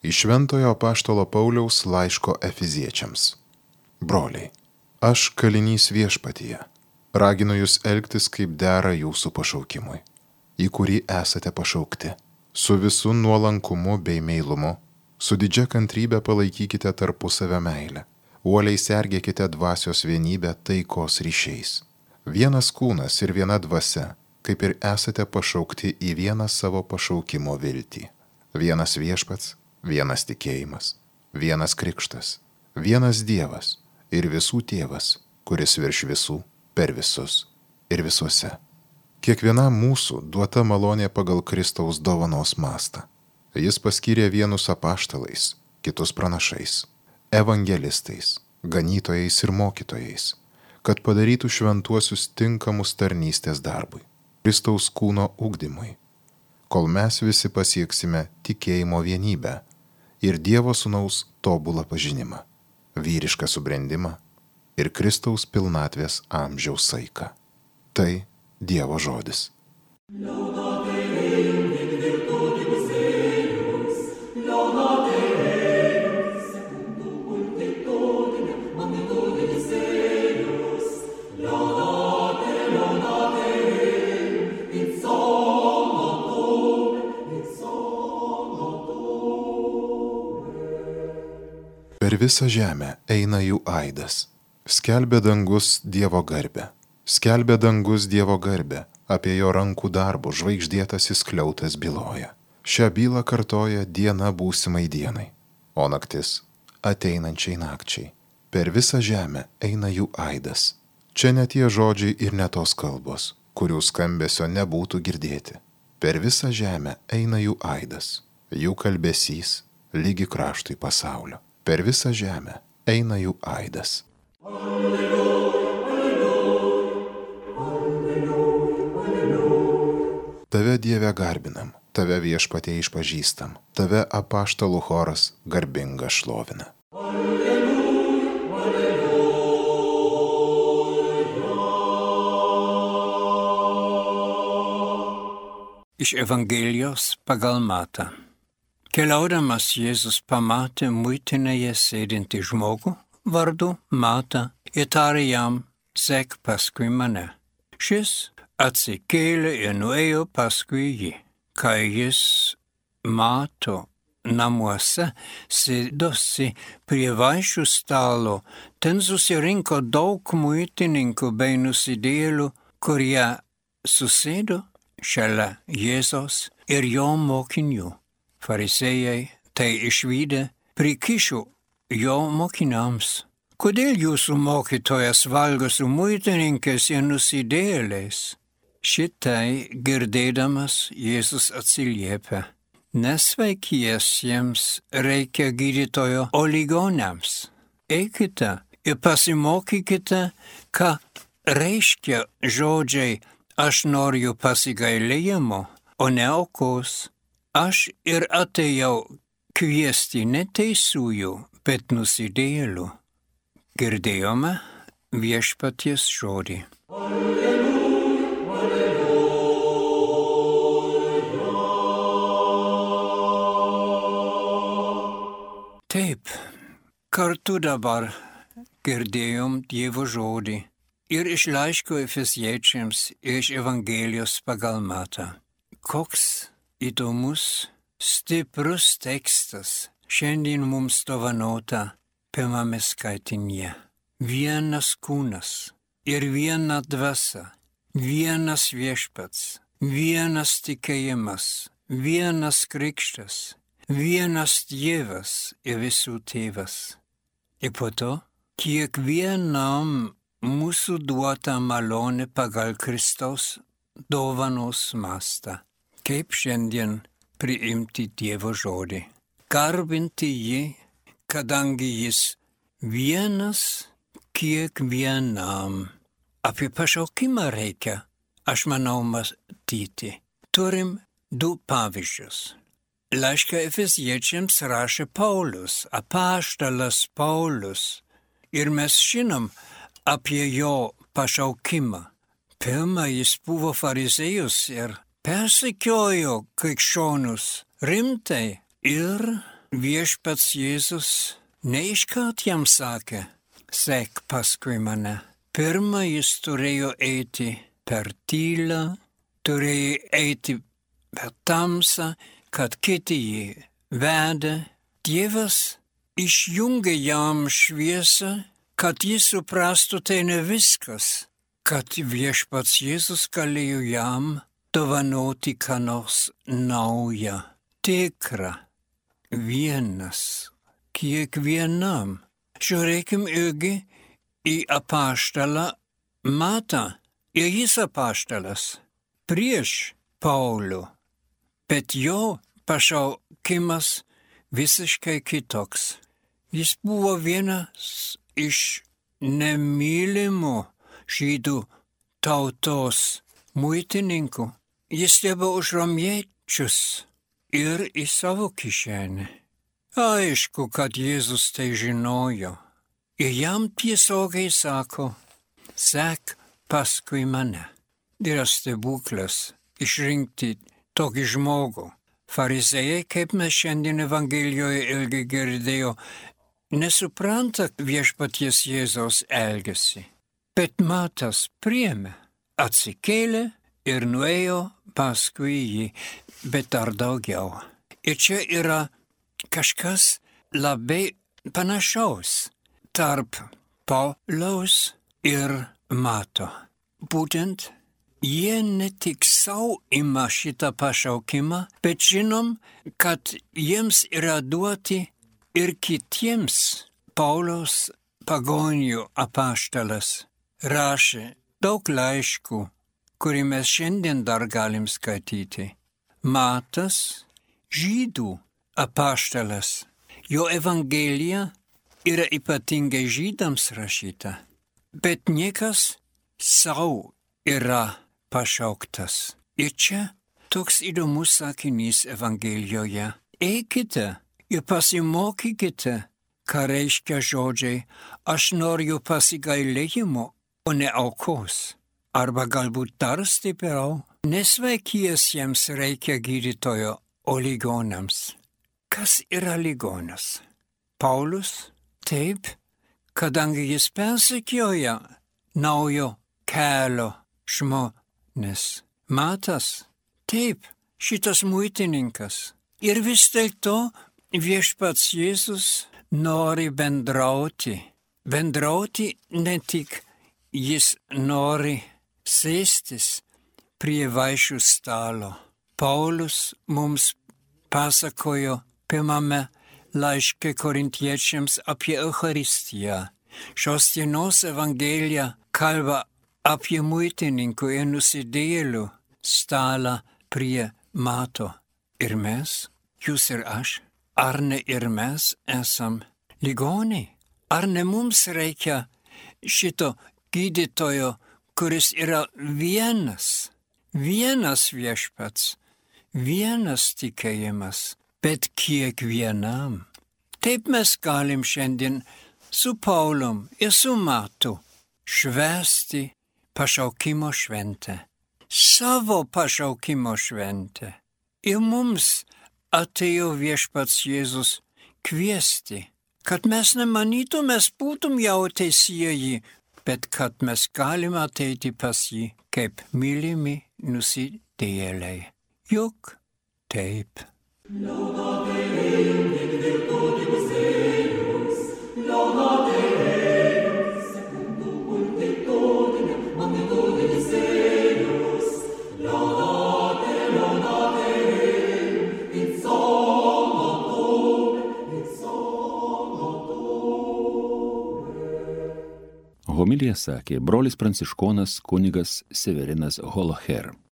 Iš Šventojo apaštalo Pauliaus laiško Efeziečiams. Broliai, aš kalinys viešpatyje, raginu jūs elgtis kaip dera jūsų pašaukimui, į kurį esate pašaukti. Su visu nuolankumu bei meilumu, su didžia kantrybė palaikykite tarpusavio meilę, uoliai sergėkite dvasios vienybę taikos ryšiais. Vienas kūnas ir viena dvasia, kaip ir esate pašaukti į vieną savo pašaukimo viltį. Vienas viešpats, vienas tikėjimas, vienas krikštas, vienas Dievas ir visų tėvas, kuris virš visų, per visus ir visuose. Kiekvienam mūsų duota malonė pagal Kristaus dovanos mastą. Jis paskyrė vienus apaštalais, kitus pranašais, evangelistais, ganytojais ir mokytojais, kad padarytų šventuosius tinkamus tarnystės darbui, Kristaus kūno ugdymui, kol mes visi pasieksime tikėjimo vienybę ir Dievo Sūnaus tobulą pažinimą, vyrišką subrendimą ir Kristaus pilnatvės amžiaus saiką. Tai Dievo žodis. Per visą žemę eina jų aidas. Skelbia dangus Dievo garbę. Skelbia dangus Dievo garbę, apie jo rankų darbų žvaigždėtasis skliautas byloja. Šią bylą kartoja diena būsimai dienai, o naktis ateinančiai nakčiai. Per visą žemę eina jų aidas. Čia ne tie žodžiai ir ne tos kalbos, kurių skambesio nebūtų girdėti. Per visą žemę eina jų aidas, jų kalbesys lygi kraštui pasaulio. Per visą žemę eina jų aidas. Tave Dieve garbinam, tave viešpatie išpažįstam, tave apaštalų choras garbinga šlovina. Iš Evangelijos pagal Matą. Keliaudamas Jėzus pamatė muitinėje sėdintį žmogų vardu Matą ir tarė jam: sek paskui mane. Šis atsikėlė ir nuėjo paskui jį. Kai jis mato namuose sėdosi prie vaišių stalo, ten susirinko daug muitininkų bei nusidėjėlių, kurie susėdo šalia Jėzaus ir jo mokinių. Farisėjai tai išvydę prikišo jo mokiniams: kodėl jūsų mokytojas valgo su muitininkais ir nusidėjėliais? Šitai girdėdamas Jėzus atsiliepia: nesveikiesiems reikia gydytojo, o ligoniams. Eikite ir pasimokykite, ką reiškia žodžiai: aš noriu pasigailėjimo, o ne aukos. Aš ir atėjau kviesti ne teisiųjų, bet nusidėjėlių. Girdėjome viešpaties žodį. Taip, kartu dabar girdėjom Dievo žodį ir iš laiško Efeziečiams, ir iš Evangelijos pagal Matą. Koks įdomus, stiprus tekstas šiandien mums dovanota pirmame skaitinyje. Vienas kūnas ir viena dvasia, vienas viešpats, vienas tikėjimas, vienas krikštas, vienas Dievas ir visų tėvas. Ir po to kiekvienam mūsų duota malonė pagal Kristaus dovanos mastą. Kaip šiandien priimti Dievo žodį. Garbinti jį, kadangi jis vienas kiekvienam. Apie pašaukimą reikia, aš manau, matyti. Turim du pavyzdžius. Laišką Efeziečiams rašė Paulius, apaštalas Paulius. Ir mes žinom apie jo pašaukimą. Pirma, jis buvo fariziejus ir persekiojo krikščionus rimtai ir viešpats Jėzus neiškart jam sakė, sek paskui mane. Pirma, jis turėjo eiti per tylą, turėjo eiti per tamsą, kad kiti jį vedė. Dievas išjungė jam šviesą, kad jis suprastų tai ne viskas, kad viešpats Jėzus galėjo jam dovanoti ką nors naują, tikrą, vienas, kiekvienam. Žiūrėkim irgi į apaštalą Matą. Ir jis apaštalas prieš Paulių, bet jo pašaukimas visiškai kitoks. Jis buvo vienas iš nemylimų žydų tautos muitininkų. Jis dirbo už romiečius ir į savo kišenę. Aišku, kad Jėzus tai žinojo. Ir jam tiesiogiai sako, sek paskui mane. Yra stebuklas išrinkti tokį žmogų. Farizėjai, kaip mes šiandien Evangelijoje ilgai girdėjo, nesupranta viešpaties Jėzaus elgesį. Bet Matas priėmė, atsikėlė ir nuėjo paskui jį, bet dar daugiau. Ir čia yra kažkas labai panašaus tarp Pauliaus ir Mato. Būtent jie ne tik sau ima šitą pašaukimą, bet žinom, kad jiems yra duoti ir kitiems. Pauliaus pagonių apaštalas rašė daug laiškų, kurį mes šiandien dar galim skaityti. Matas, žydų apaštalas, jo evangelija yra ypatingai žydams rašyta, bet niekas sau yra pašauktas. Ir čia toks įdomus sakinys Evangelijoje. Eikite ir pasimokykite, ką reiškia žodžiai, aš noriu pasigailėjimo, o ne aukos. Arba galbūt dar stipriau, nesveikiesiems reikia gydytojo, o ligonams. Kas yra ligonas? Paulius? Taip, kadangi jis persekioja naujo kelio žmonės. Matas? Taip, šitas muitininkas. Ir vis dėlto viešpats Jėzus nori bendrauti. Bendrauti ne tik jis nori sėstis prie vaišių stalo. Paulius mums pasakojo pirmame laiške korintiečiams apie Eucharistiją. Šios dienos Evangelija kalba apie muitininkų ir nusidėjėlių stalą prie Mato. Ir mes, jūs ir aš, ar ne ir mes esam ligoniai? Ar ne mums reikia šito gydytojo, kuris yra vienas viešpats, vienas tikėjimas, bet kiekvienam? Taip mes galim šiandien su Paulium ir su Matu švęsti pašaukimo šventę, savo pašaukimo šventę. Ir mums atėjo viešpats Jėzus kviesti, kad mes nemanytum, mes būtum jau teisieji, bet kad mes galime ateiti pas jį kaip mylimi nusidėjėliai. Juk taip. Homiliją sakė brolis pranciškonas kunigas Severinas Holoher.